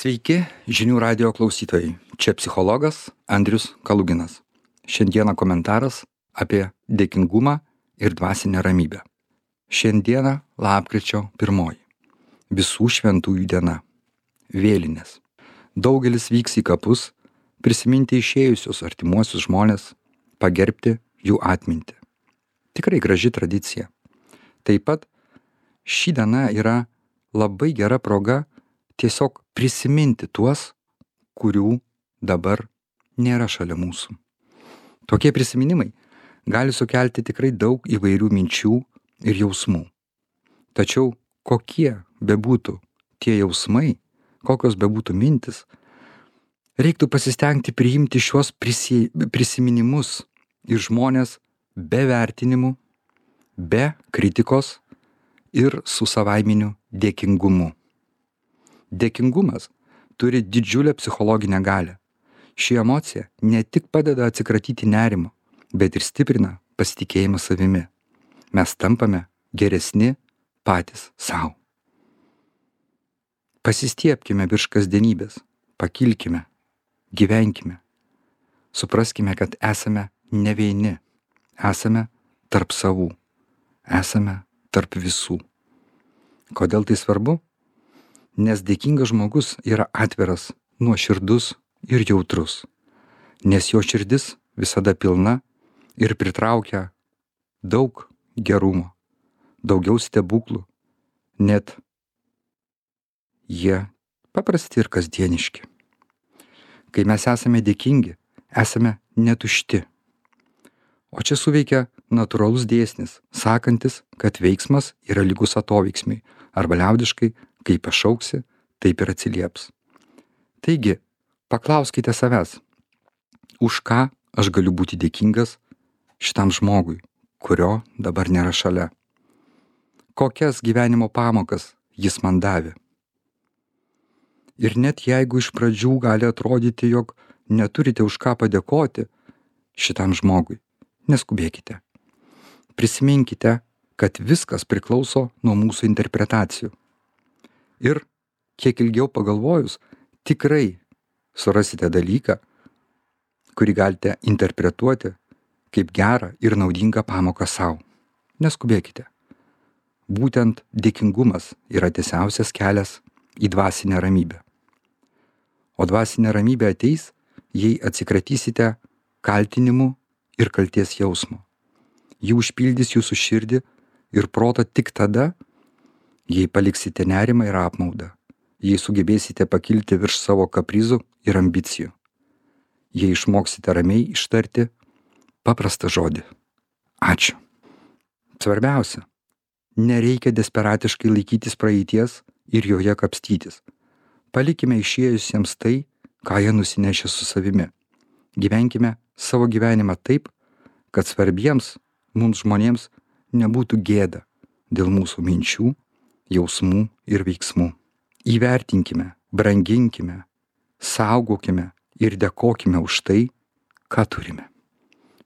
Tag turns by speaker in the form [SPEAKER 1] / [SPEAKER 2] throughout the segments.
[SPEAKER 1] Sveiki, žinių radijo klausytojai. Čia psichologas Andrius Kaluginas. Šiandieną komentaras apie dėkingumą ir dvasinę ramybę. Šiandieną lapkričio 1. Visų šventųjų diena. Vėlinės. Daugelis vyks į kapus, prisiminti išėjusius artimuosius žmones, pagerbti jų atmintį. Tikrai graži tradicija. Taip pat ši diena yra labai gera proga tiesiog prisiminti tuos, kurių dabar nėra šalia mūsų. Tokie prisiminimai gali sukelti tikrai daug įvairių minčių ir jausmų. Tačiau kokie bebūtų tie jausmai, kokios bebūtų mintis, reiktų pasistengti priimti šiuos prisiminimus ir žmonės be vertinimų, be kritikos ir su savaiminiu dėkingumu. Dėkingumas turi didžiulę psichologinę galią. Ši emocija ne tik padeda atsikratyti nerimo, bet ir stiprina pasitikėjimą savimi. Mes tampame geresni patys savo. Pasistiebkime virš kasdienybės, pakilkime, gyvenkime. Supraskime, kad esame ne vieni, esame tarp savų, esame tarp visų. Kodėl tai svarbu? Nes dėkingas žmogus yra atviras, nuoširdus ir jautrus. Nes jo širdis visada pilna ir pritraukia daug gerumo, daugiau stebuklų, net jie paprasti ir kasdieniški. Kai mes esame dėkingi, esame netušti. O čia suveikia natūralus dėsnis, sakantis, kad veiksmas yra lygus atoveiksmiui, arba liaudiškai, kai pašauksi, taip ir atsilieps. Taigi, paklauskite savęs, už ką aš galiu būti dėkingas šitam žmogui, kurio dabar nėra šalia. Kokias gyvenimo pamokas jis man davė. Ir net jeigu iš pradžių gali atrodyti, jog neturite už ką padėkoti šitam žmogui, neskubėkite. Prisiminkite, kad viskas priklauso nuo mūsų interpretacijų. Ir kiek ilgiau pagalvojus, tikrai surasite dalyką, kurį galite interpretuoti kaip gerą ir naudingą pamoką savo. Neskubėkite. Būtent dėkingumas yra tiesiausias kelias į dvasinę ramybę. O dvasinė ramybė ateis, jei atsikratysite kaltinimų ir kalties jausmo. Ji užpildys jūsų širdį ir protą tik tada, jei paliksite nerimą ir apmaudą, jei sugebėsite pakilti virš savo kaprizų ir ambicijų, jei išmoksite ramiai ištarti paprastą žodį. Ačiū. Svarbiausia, nereikia desperatiškai laikytis praeities ir joje kapstytis. Palikime išėjusiems tai, ką jie nusinešė su savimi. Gyvenkime savo gyvenimą taip, kad svarbiems mums žmonėms nebūtų gėda dėl mūsų minčių, jausmų ir veiksmų. Įvertinkime, branginkime, saugokime ir dėkokime už tai, ką turime.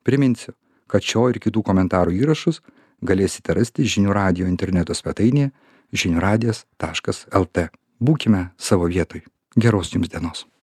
[SPEAKER 1] Priminsiu, kad šio ir kitų komentarų įrašus galėsite rasti žinių radijo interneto svetainėje žiniųradijas.lt. Būkime savo vietoj. Geros jums dienos.